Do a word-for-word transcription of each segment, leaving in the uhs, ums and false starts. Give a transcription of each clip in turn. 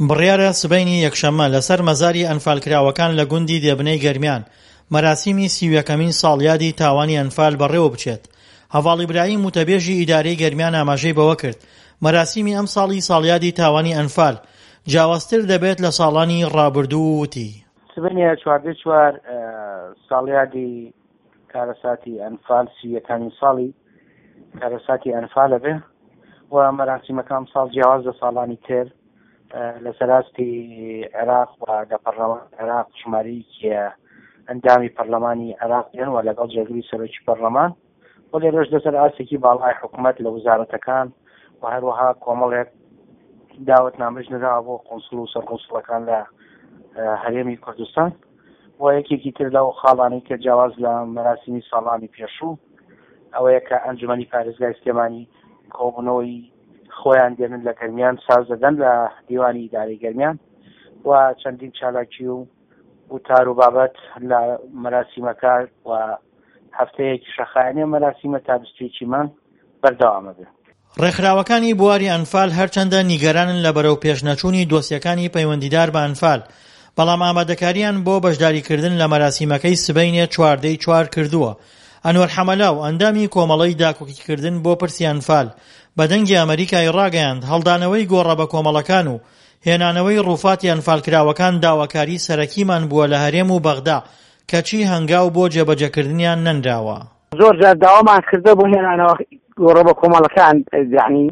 بڕیارە سبەینی یەکشەممە لەسەر مەزاری ئەنفالکراوەکان لە گوندی دێبنەی گەرمیان مەراسیمی سی و یەکەمین ساڵیادی تاوانی ئەنفال بەڕێوە بچێت. هەڤاڵ ئیبراهیم وتەبێژی ئیدارەی گەرمیان ئاماژەی بەوە کرد، مەراسیمی ئەمساڵی ساڵیادی تاوانی ئەنفال جیاوازتر دەبێت لە ساڵانی ڕابردوو و وتی، سبەینێ چواردە چوار ساڵیادی کارەساتی ئەنفال سی و یەکەمین ساڵی کارەساتی ئەنفالە بێ و مەراسیمەکە ئەمساڵ جیاواز لە ساڵانی تر لەسەر ئاستی عێراق و لە پەرلەمان عێراق ژمارەیەکی ئەندامی پەرلەمانی عێراق دێن و لەگەڵ جێگری سەرۆکی پەرلەمان و لێرەش لەسەر ئاستێکی باڵای حکوومەت لە وەزارەتەکان و هەروەها کۆمەڵێک داوەتنامەش نراوە بۆ قونسڵ و سەرقونسڵەکان لە هەرێمی کوردستان و یەکێکی تر لەو خاڵانەی کە جیاواز لە مەراسیمی ساڵانی پێشوو ئەوەیە کە ئەنجومەنی پارێزگای سلێمانی کۆبوونەوەی خۆیان دێنن لە گەرمیان ساز دەدەن لە دیوانی ئیدارەی گەرمیان و چەندین چالاکی و وتار و بابەت لە مەراسیمەکە و هەفتەیەکی شەخایەنێ مەراسیمە تا بیست و یەکی مانگ بەردەوامە بێ. ڕێکخراوەکانی بواری ئەنفال هەرچەندە نیگەرانن لە بەرەو پێشنەچوونی دۆسیەکانی پەیوەندیدار بە ئەنفال، بەڵام ئامادەکاریان بۆ بەشداریکردن لە مەراسیمەکەی سبەینێ چواردەی چوار کردووە. ئەنوەر حەمەلاو ئەندامی کۆمەڵەی داکۆکیکردن بۆ پرسی ئەنفال بە دەنگی ئەمەریکای ڕاگەیاند، هەڵدانەوەی گۆڕە بە کۆمەڵەکان و هێنانەوەی ڕووفاتی ئەنفالکراوەکان داواکاری سەرەکیمان بووە لە هەرێم و بەغدا، کەچی هەنگاو بۆ جێبەجێکردنیان نەنراوە. زۆر جار داوامان کردە بۆ هێنانەوە گۆڕە بە کۆمەڵەکان، یعنی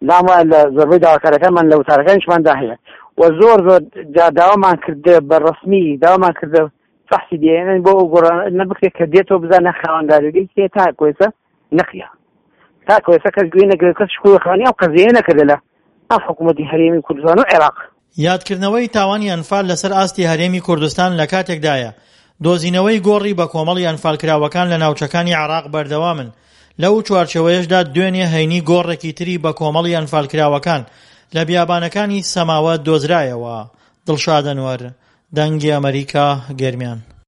لام وایە لە زۆربەی داواکارەکانمان لە وتارەکانیشماندا هەیە و زۆر زۆر جار داوامان کردە بە ڕەسمی داوامان کردە فەحسی دێنن بۆ ئەو گۆڕانە بکرێت کە دێتەوە بزانە خاوەنداریەکەی کێ. تا کۆیسە نەقیە، تا کۆیسە کەس گوێ نەگرێت، کەس شکۆخانی ئەو قەزیە نەکردە لە ئەم حکوومەتی هەرێمی کوردستان و عێراق. یادکردنەوەی تاوانی ئەنفال لەسەر ئاستی هەرێمی کوردستان لە کاتێکدایە دۆزینەوەی گۆڕی بە کۆمەڵی ئەنفالکراوەکان لە ناوچەکانی عێراق بەردەوامن، لەو چوارچێوەیەشدا دوێنێ هەینی گۆڕێکی تری بە کۆمەڵی ئەنفالکراوەکان لە بیابانەکانی سەماوە دۆزرایەوە. دڵشاد ئەنوەر، دەنگی ئەمەریکا، گەرمیان.